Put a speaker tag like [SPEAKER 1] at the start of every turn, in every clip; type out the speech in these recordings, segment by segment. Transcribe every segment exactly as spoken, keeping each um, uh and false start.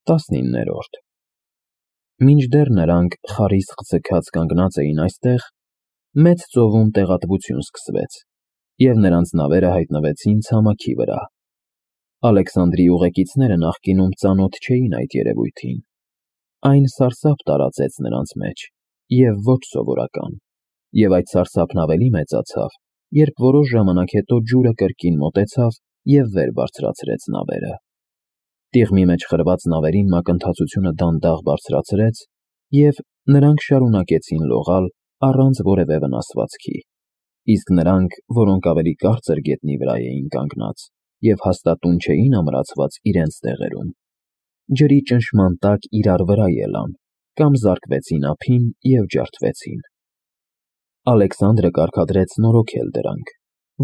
[SPEAKER 1] տասնիններորդ Մինչդեռ նրանք խարիսխ ձգած կանգնած էին այստեղ, մեծ ծովում տեղատվություն սկսվեց, և նրանց նավերը հայտնվեցին ցամաքի վրա։ Ալեքսանդրի ուղեկիցները նախկինում ծանոթ չէին այդ երևույթին։ Այն սարսափ տարածեց նրանց մեջ, և ոչ սովորական, և այդ սարսափն ավելի մեծացավ, երբ որոշ ժամանակ հետո ջուրը կրկին մոտեցավ և վեր բարձրացրեց նավերը։ Տիղմի մեջ խրված նավերին մակընթացությունը դանդաղ բարձրացրեց, և նրանք շարունակեցին լողալ առանց որևէ վնասվածքի, իսկ նրանք, որոնք ավելի կարծր գետնի վրա էին կանգնած և հաստատուն չէին ամրացված իրենց տեղերում, ջրի ճնշման տակ իրար վրա ելան կամ զարկվեցին ափին և ջարդվեցին։ Ալեքսանդրը կարգադրեց նորոգել դրանք,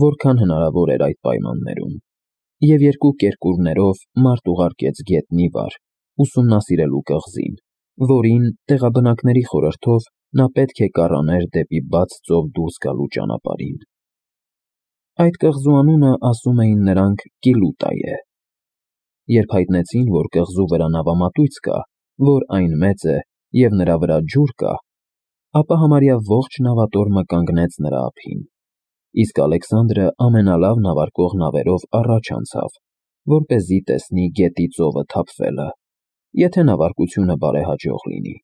[SPEAKER 1] որքան հնարավոր էր այդ պայմաններում, և երկու կերկուրներով մարդ ուղարկեց գետնի վար, ուսումնասիրելու կղզին, որին, տեղաբնակների խորհրդով, նա պետք է կառաներ դեպի բաց ծով դուրս գալու ճանապարհին։ Այդ կղզու անունը, ասում էին նրանք, Կիլուտա է։ Երբ հայտնեցին, որ կղզու վրա նավամատույց կա, որ այն մեծ է և նրա վրա ջուր կա, ապա համարյա ողջ նավատորմը կանգնեց նրա ափին, իսկ Ալեքսանդրը ամենալավ նավարկող նավերով առաջ անցավ, որպեսզի տեսնի գետի ծովը թափվելը, եթե նավարկությունը բարեհաջող լինի։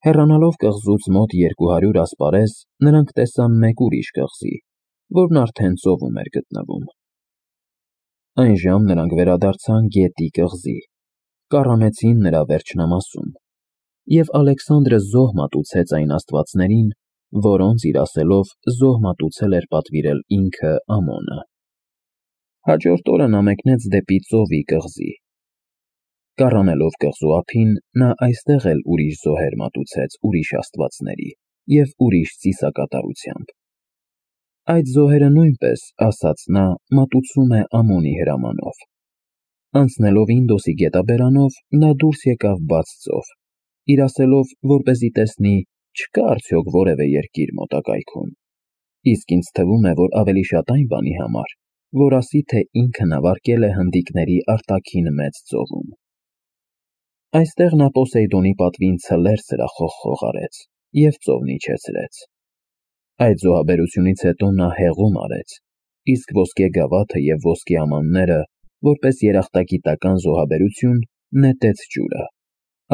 [SPEAKER 1] Հեռանալով կղզուց մոտ երկու հարյուր ասպարեզ, նրանք տեսան մեկ ուրիշ կղզի, որն արդեն ծովում էր գտնվում։ Այժմ նրանք վերադարձան գետի կղզի, կառանեցին նրա վերջնամասում, և Ալեքսանդրը զոհ մատուցեց այն աստվածներին, որոնց, իր ասելով, զոհ մատուցել էր պատվիրել ինքը Ամոնը։ Հաջորդ օրը նա մեկնեց դեպի ծովի կղզի։ Կառանելով կղզու ափին, նա այստեղ էլ ուրիշ զոհեր մատուցեց ուրիշ աստվածների և ուրիշ ծիսակատարությամբ։ Այդ զոհերը նույնպես, ասաց նա, մատուցում է Ամոնի հրամանով։ Անցնելով Ինդոսի գետաբերանով, նա դուրս եկավ բաց ծով, իր ասելով, որպեսզի տեսնի, չկա՞ արդյոք որևէ երկիր մոտակայքում, իսկ ինձ թվում է, որ ավելի շատ այն բանի համար, որ ասի, թե ինքը նավարկել է հնդիկների արտաքին մեծ ծովում։ Այստեղ նա Պոսեյդոնի պատվին ցլեր սրախոխ արեց և ծովն իջեցրեց։ Այդ զոհաբերությունից հետո նա հեղում արեց, իսկ ոսկե գավաթը և ոսկե ամանները, որպես երախտագիտական զոհաբերություն, նետեց ջուրը,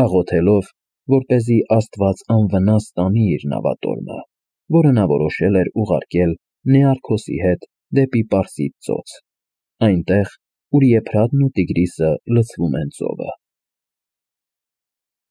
[SPEAKER 1] աղոթելով, որպեսզի Աստված անվնաս տանի իր նավատորմը, որը նա որոշել էր ուղարկել Նեարքոսի հետ դեպի Պարսից ծոց, այնտեղ, ուր Եփրատն ու Տիգրիսը լցվում են ծովը։